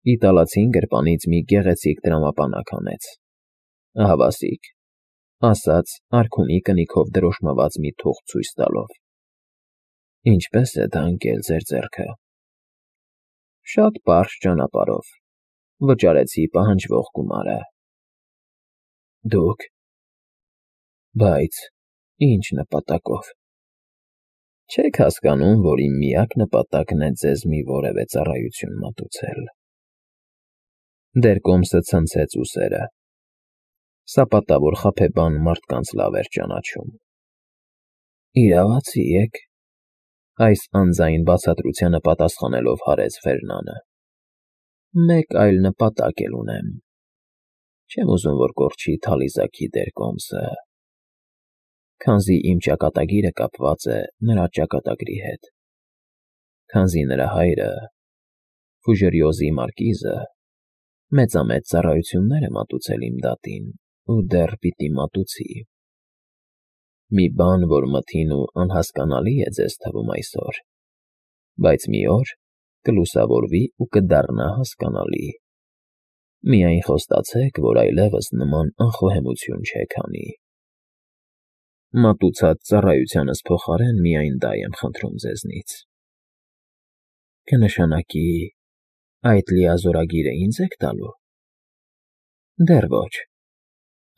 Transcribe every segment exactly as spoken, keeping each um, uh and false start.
Իտալացին գրպանից մի գեղեցիկ տրամապանակ հանեց։ Ահավասիկ, ասաց արքունի կնիքով դրոշմված մի թուղթ ցույց տալով։ Ինչպե՞ս է դա ընկել ձեր ձեռքը։ Շատ պարզ ճանապարհով, վճարեցի պահանջվող գումարը։ Դուք։ Բայց ինչ նպատակով։ Չեք հասկանում, որ իմ միակ նպատակն է ձեզ մի որևէ ծառայություն մատուցել։ Դերկոմսը ցնցեց ուսերը։ Սապատավոր խաբեբան մարդկանց լավ էր ճանաչում։ Իրավացի եք, այս անձայն բացատրությանը պատասխանելով հարեց Ֆերնանը։ Մեկ այլ նպատակ էլ ունեմ։ Չեմ ուզում, որ կորչի թալիզաքի դերկոմսը, քանզի իմ ճակատագիրը կապված է նրա ճակատագրի հետ, քանզի նրա հայրը, Ֆուժերիոզի մարկիզը, մեծամեծ ծառայություններ է մատուցել իմ դատին ու դեռ պիտի մատուցի։ Մի բան, որ մթին ու անհասկանալի է ձեզ թվում այսօր, բայց մի օր կլուսավորվի ու կդառնա հասկանալի։ Միայն խոստացեք, որ այլևս նման անխոհեմություն չեք անի։ Մատուցած ծառայությանս փոխարեն միայն դա եմ խնդրում ձեզնից։ Կնշանակի այդ լիազորագիրը ինձ եք տալու։ Դեռ ոչ,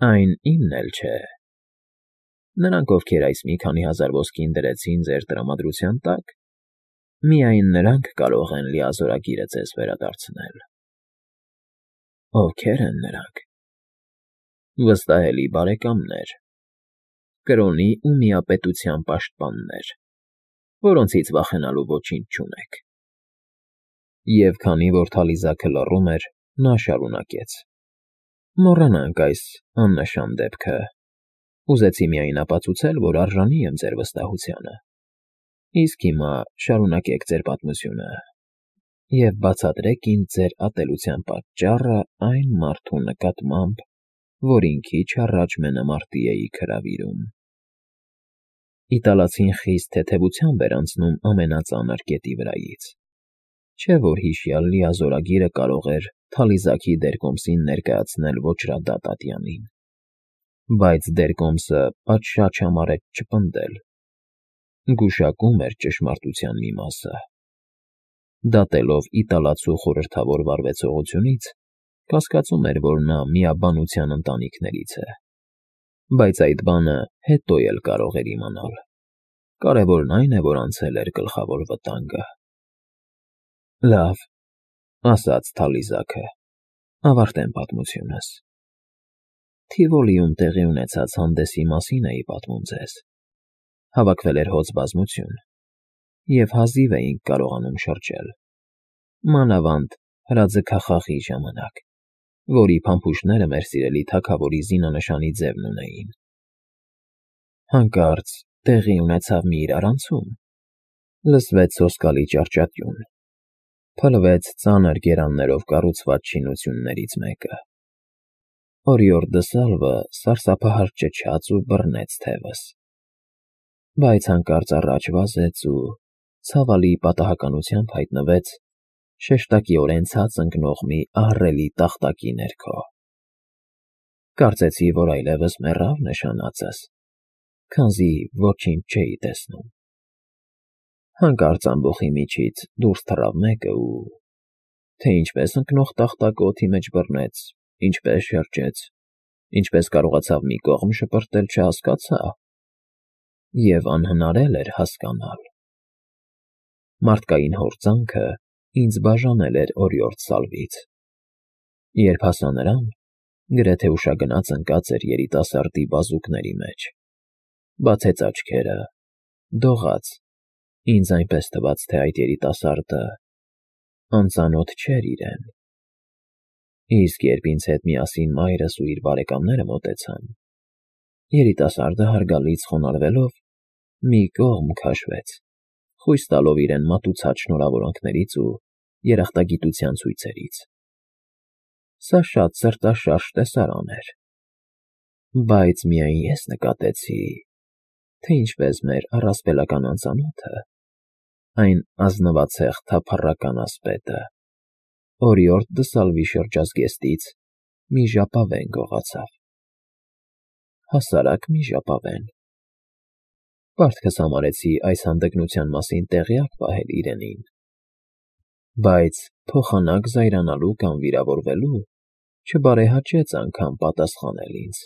այն իմն էլ չէ։ Նրանք, ովքեր այս մի քանի հազար ոսկին դրեցին ձեր տրամադրության տակ, միայն նրանք կարող են լիազորագիրը ձեզ վերադարձնել։ Ովքեր են նրանք։ Վստահելի բարեկամներ, կրոնի ու միապետության պաշտպաններ, որոնցից վախենալու ոչինչ չունեք։ Եվ քանի որ թալիզակը լռում էր, նա շարունակեց. Մոռանանք այս աննշան դեպքը։ Ուզեցի միայն ապացուցել, որ արժանի եմ ձեր վստահությանը։ Իսկ հիմա շարունակեք ձեր պատմությունը և բացատրեք ինձ ձեր ատելության պատճառը այն մարդու նկատմամբ, որին քիչ առաջ մենամարտի էիք հրավիրում։ Իտալացին խիստ թեթևությամբ էր անցնում ամենածանր կետի վրայից, չէ՞ որ հիշյալ լիազորագիրը կարող էր թալիզաքի դերկոմսին ներկայացնել ոճրադատ ատյանին։ Բայց դերկոմսը պատշաճ համարեց չպնդել։ Գուշակում էր ճշմարտության մի մասը։ Դատելով իտալացու խորհրդավոր վարվեցողությունից, կասկածում էր, որ նա միաբանության ընտանիքներից է։ Բայց այդ բանը հետո էլ կարող էր իմանալ։ Կարևորն այն է, որ անցել էր գլխավոր վտանգը։ Լավ, ասաց թալիզակը, ավարտեմ պատմությունս։ Թիվոլիում տեղի ունեցած հանդեսի մասին էի պատմում ձեզ։ Հավաքվել էր հոծ բազմություն, և հազիվ էինք կարողանում շրջել։ Մանավանդ հրաձգախաղի ժամանակ, որի փամփուշտները մեր սիրելի թագավորի զինանշանի ձևն ունեին։ Հանկարծ տեղի ունեցավ մի իրարանցում։ Լսվեց սոսկալի ճառճատյուն։ Փլվեց ծանր գերաններով կառուցված շինություններից մեկը։ Օրիորդը Սալվը սարսափահար ճչաց ու բռնեց թևս։ Բայց հանկարծ առաջ վազեց ու ցավալի պատահականությամբ հայտնվեց շեշտակիորեն ցած ընկնող մի ահռելի տախտակի ներքո։ Կարծեցի, որ այլևս մեռավ նշանածս, քանզի ոչինչ չէի տեսնում։ Հանկարծ ամբոխի միջից դուրս թռավ մեկը ու… Թե ինչպես ընկնող տախտակը օդի մեջ բռնեց, ինչպես շրջեց, ինչպես կարողացավ մի կողմ շպրտել, չհասկացա, և անհնար էլ էր հասկանալ։ Մարդկային հորձանքը ինձ բաժանել էր օրիորդ Սալվից։ Երբ հասա նրան, գրեթե ուշագնաց ընկած էր երիտասարդի բազուկների մեջ։ Բացեց աչքերը, դողաց, ինձ այնպես թվաց, թե այդ երիտասարդը անծանոթ չէր իրեն։ Իսկ երբ ինձ հետ միասին մայրս ու իր բարեկամները մոտեցան, երիտասարդը հարգալից խոնարհվելով մի կողմ քաշվեց, խույս տալով իրեն մատուցած շնորհավորանքներից ու երախտագիտության ցույցերից։ Սա շատ սրտաշարժ տեսարան էր։ Բայց միայն ես նկատեցի, թե ինչպես մեր առասպելական անծանոթը, այն ազնվացեղ թափառական ասպետը, օրիորդ Դսալվի շրջազգեստից մի ժապավեն գողացավ, հասարակ մի ժապավեն. պարտքս համարեցի այս հանդգնության մասին տեղյակ պահել իրենին, բայց փոխանակ զայրանալու կամ վիրավորվելու չբարեհաճեց անգամ պատասխանել ինձ.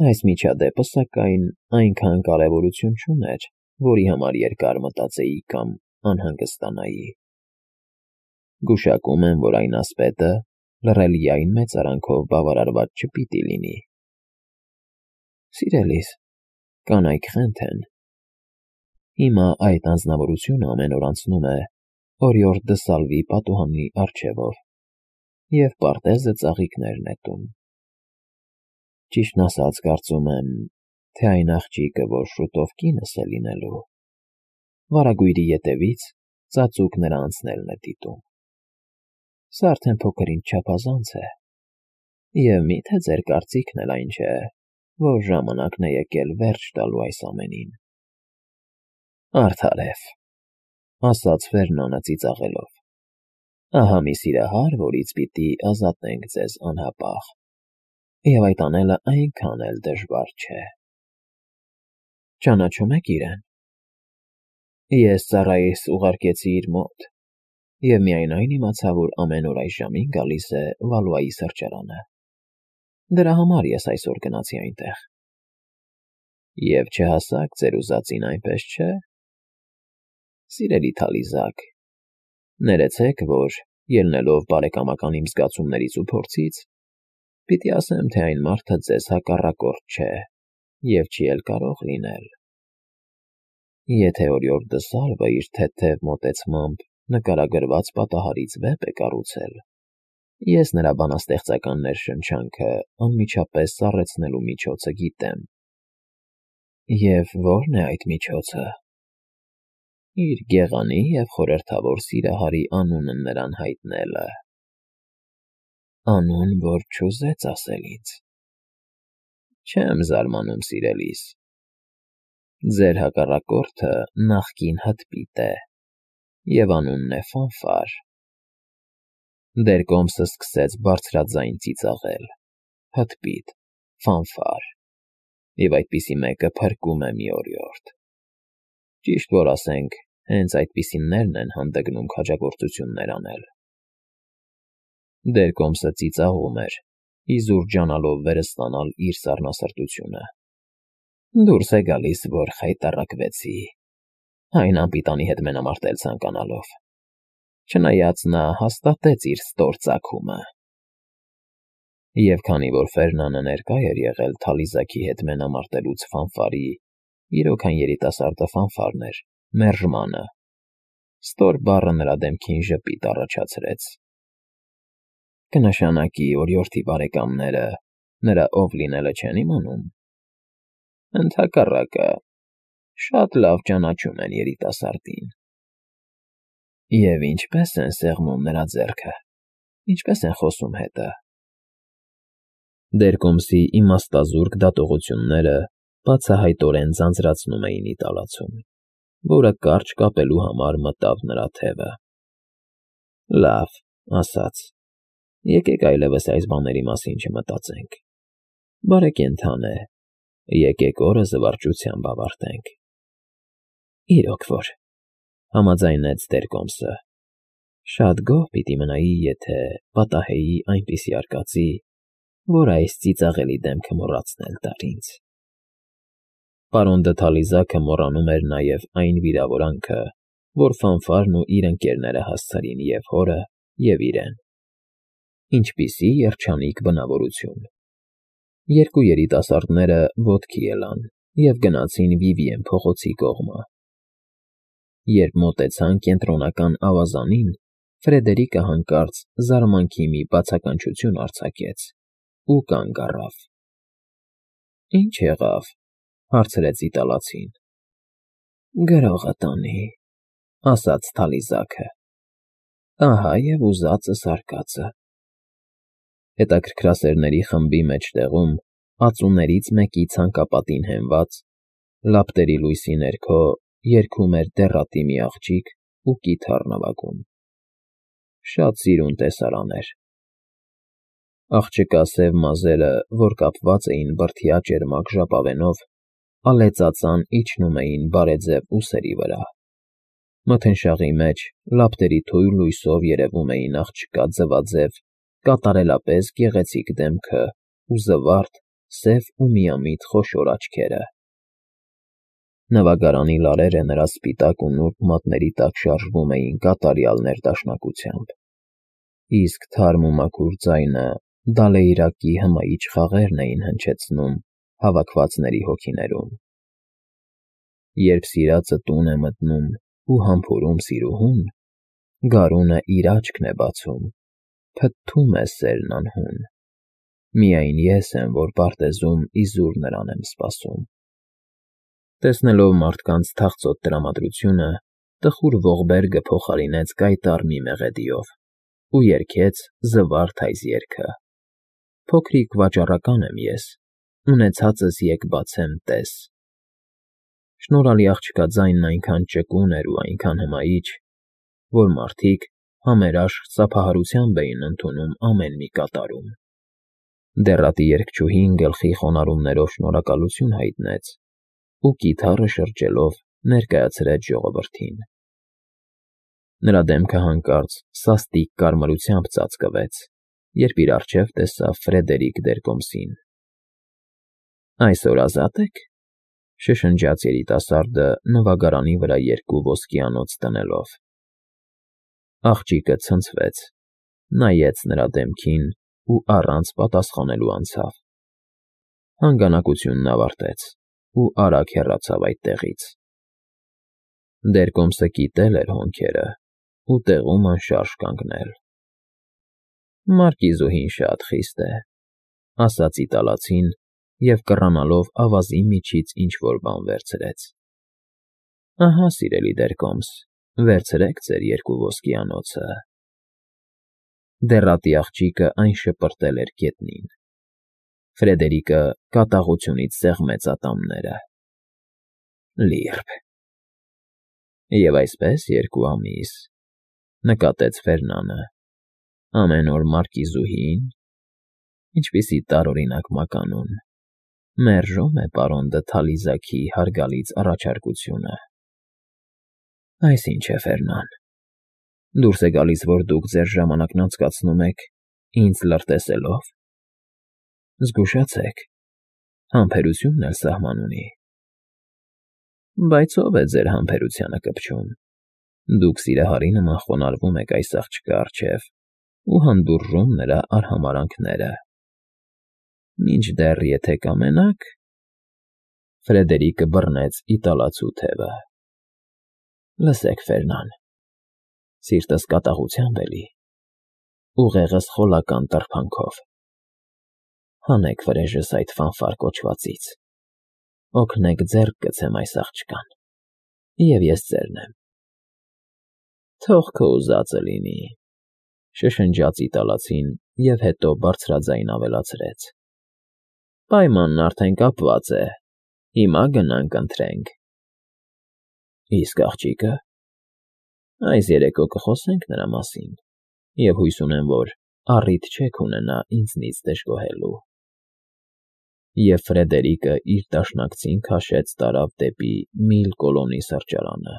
այս միջադեպը, սակայն, այնքան կարևորություն չուներ, որի համար երկար մտածեի կամ անհանգստանայի. գուշակում եմ, որ այն ասպետը լռելիային մեծարանքով բավարարված չպիտի լինի. Սիրելիս, կանայք խենթ են. հիմա այդ անձնավորությունը ամեն օր անցնում է օրիորդ Դսալվի պատուհանի առջևով և պարտեզը ծաղիկներ նետում. ճիշտն ասած, կարծում եմ, թե այն աղջիկը, որ շուտով կինս է լինելու, վարագույրի ետևից ծածուկ նրա անցնելն է դիտում. սա արդեն փոքր-ինչ չափազանց է, և միթե ձեր կարծիքն էլ այն չէ, որ ժամանակն է եկել վերջ տալու այս ամենին։ Արդարև, ասաց Ֆերնանը ծիծաղելով, ահա մի սիրահար, որից պիտի ազատենք ձեզ անհապաղ, և այդ անելը այնքան էլ դժվար չէ։ Ճանաչում եք իրեն։ Ես ծառայիս ուղարկեցի իր մոտ, և միայն իմացա, որ ամեն օր այս ժամին գալիս է Վալուայի սրճարանը. դրա համար ես այսօր գնացի այնտեղ։ Եվ չհասաք ձեր ուզածին, այնպես չէ՞։ Սիրելի Թալիզակ, ներեցեք, որ, ելնելով բարեկամական իմ զգացումներից ու փորձից, պիտի ասեմ, թե այն մարդը ձեզ հակառակորդ չէ և չի էլ կարող լինել։ Եթե օրիորդ Դսալվը իր թեթև մոտեցմամբ նկարագրված պատահարից վեպ է կառուցել, ես նրա բանաստեղծական ներշնչանքը անմիջապես սառեցնելու միջոցը գիտեմ։ Եվ ո՞րն է այդ միջոցը։ Իր գեղանի և խորհրդավոր սիրահարի անունը նրան հայտնելը։ Անուն, որ չուզեց ասել ինձ։ Չեմ զարմանում, սիրելիս։ Ձեր հակառակորդը նախկին հտպիտ է, և անունն է Ֆանֆար։ Դերկոմսը սկսեց բարձրաձայն ծիծաղել. հտպիտ, Ֆանֆար, և այդպիսի մեկը փրկում է մի օրիորդ։ Ճիշտ որ ասենք, հենց այդպիսիներն են հանդգնում քաջագործություններ անել։ Դերկոմսը ծիծաղում էր, իզուր ջանալով վերստանալ իր սառնասրտությունը։ Դուրս է գալիս, որ խայտառակվեցի, այն անպիտանի հետ մենամարտել ցանկանալով, չնայած նա հաստատեց իր ստոր ծագումը։ Եվ քանի որ Ֆերնանը ներկա էր եղել Թալիզակի հետ մենամարտելուց Ֆանֆարի, իրոք այն երիտասարդը Ֆանֆարն էր, մերժմանը, ստոր բառը նրա դեմքին ժպիտ առաջացրեց։ Կնշանակի օրիորդի բարեկամները նրա ով լինելը չեն իմանում։ Ընդհակառակը, շատ լավ ճանաչում են երիտասարդին։ Եվ ինչպե՞ս են սեղմում նրա ձեռքը, ինչպե՞ս են խոսում հետը։ Դերկոմսի իմաստազուրկ դատողությունները բացահայտորեն ձանձրացնում էին իտալացուն, որը կարճ կապելու համար մտավ նրա թևը։ Լավ, ասաց, եկեք այլևս այս բաների մասին չմտածենք։ Բարեկենդան է, եկեք օրը զվարճությամբ ավարտենք։ Իրոք որ, համաձայնեց Դերկոմսը, շատ գոհ պիտի մնայի, եթե պատահեի այնպիսի արկածի, որ այս ծիծաղելի դեմքը մոռացնել տար ինձ։ Պարոն դը Թալիզակը մոռանում էր նաև այն վիրավորանքը, որ Ֆանֆարն ու իր ընկերները հասցրին և հորը, և իրեն։ Ինչպիսի երջանիկ բնավորություն։ Երկու երիտասարդները ոտքի ելան և գնացին Վիվիեն փողոցի կողմը։ Երբ մոտեցան կենտրոնական ավազանին, Ֆրեդերիկը հանկարծ զարմանքի մի բացականչություն արձակեց ու կանգ առավ։ Ի՞նչ եղավ, հարցրեց իտալացին։ Գրողը տանի, ասաց Թալիզակը։ Ահա և ուզածս արկածը։ Հետաքրքրասերների խմբի մեջտեղում, ածուներից մեկի ցանկապատին հենված, լապտերի լույսի ներքո երգում էր դեռատի մի աղջիկ ու կիթառ նվագում։ շատ սիրուն տեսարան էր։ Աղջկա սև մազերը, որ կապված էին բրդյա ճերմակ ժապավենով, ալեծածան իջնում էին բարեձև ուսերի վրա։ Մթնշաղի մեջ լապտերի թույլ լույսով երևում էին աղջկա ձվաձև, կատարելապես գեղեցիկ դեմքը ու զվարթ, սև ու միամիտ խոշոր աչքերը։ Նվագարանի լարերը նրա սպիտակ ու նուրբ մատների տակ շարժվում էին կատարյալ ներդաշնակությամբ, իսկ թարմ ու մաքուր ձայնը դալեյրակի հմայիչ խաղերն էին հնչեցնում հավաքվածների հոգիներում։ Երբ սիրածը տուն է մտնում ու համբուրում սիրուհուն, գարունը իր աչքն է բացում, փթթում է սերն անհուն, միայն ես եմ, որ պարտեզում իզուր նրան եմ սպասում։ Տեսնելով մարդկանց թախծոտ տրամադրությունը, տխուր ողբերգը փոխարինեց կայտառ մի մեղեդիով ու երգեց զվարթ այս երգը. «Փոքրիկ վաճառական եմ ես, ունեցածս եկ բացեմ տես»։ Շնորհալի աղջկա ձայնն այնքան ճկուն էր ու այնքան հմայիչ, որ մարդիկ համերաշխ ծափահարությամբ էին ընդունում ամեն մի կատարում։ Դեռատի երգչուհին գլխի խոնարհումներով շնորհակալություն հայտնեց ու կիթառը շրջելով ներկայացրեց ժողովրդին։ Նրա դեմքը հանկարծ սաստիկ կարմրությամբ ծածկվեց, երբ իր առջև տեսավ Ֆրեդերիկ Դերկոմսին։ «Այսօր ազատ ե՞ք,» շշնջաց երիտասարդը նվագարանի վրա երկու ոսկիանոց դնելով։ Աղջիկը ցնցվեց, նայեց նրա դեմքին ու առանց պատասխանելու անցավ։ Հանգանակությունն ավարտեց ու արագ հեռացավ այդտեղից։ Դերկոմսը կիտել էր հոնքերը ու տեղում անշարժ կանգնել։ «Մարկիզուհին շատ խիստ է,֊ ասաց իտալացին և կռանալով ավազի միջից ինչ֊որ բան վերցրեց։ Ահա, սիրելի Դերկոմս, վերցրեք ձեր երկու ոսկիանոցը»։ Դեռատի աղջիկը այն շպրտել էր գետնին։ Ֆրեդերիկը կատաղությունից սեղմեց ատամները։ «Լիրբ»։ «Եվ այսպես երկու ամիս,֊ նկատեց Ֆերնանը,֊ ամեն օր մարկիզուհին… Ինչպիսի տարօրինակ մականուն… Մերժում է պարոն դը Թալիզաքի հարգալից առաջարկությունը»։ «Այս ինչ է, Ֆերնան… Դուրս է գալիս, որ դուք ձեր ժամանակն անցկացնում եք ինձ լրտեսելով… Զգուշացեք, համբերությունն էլ սահման ունի»։ «Բայց ո՞վ է ձեր համբերությանը կպչում… Դուք սիրահարի նման խոնարհվում եք այս աղջկա առջև ու հանդուրժում նրա արհամարհանքները… Մինչդեռ եթե կամենաք…»։ Ֆրեդերիկը բռնեց իտալացու թևը։ «Լսեք, Ֆերնան, սիրտս կատաղությամբ էլի, ուղեղս խոլական տրբանքով… Հանեք վրեժս այդ ֆանֆար կոչվածից, օգնեք ձեռք գցեմ այս աղջկան, և ես ձերն եմ»։ «Թող քո ուզածը լինի,֊ շշնջաց իտալացին և հետո բարձրաձայն ավելացրեց,֊ Պայմանն արդեն կապված է, հիմա գնանք ընթրենք»։ «Իսկ աղջիկը…» «Այս երեկո կխոսենք նրա մասին և հույս ունեմ, որ առիթ չեք ունենա ինձնից դժգոհելու»։ Եվ Ֆրեդերիկը իր դաշնակցին քաշեց տարավ դեպի Միլկոլոնի սրճարանը։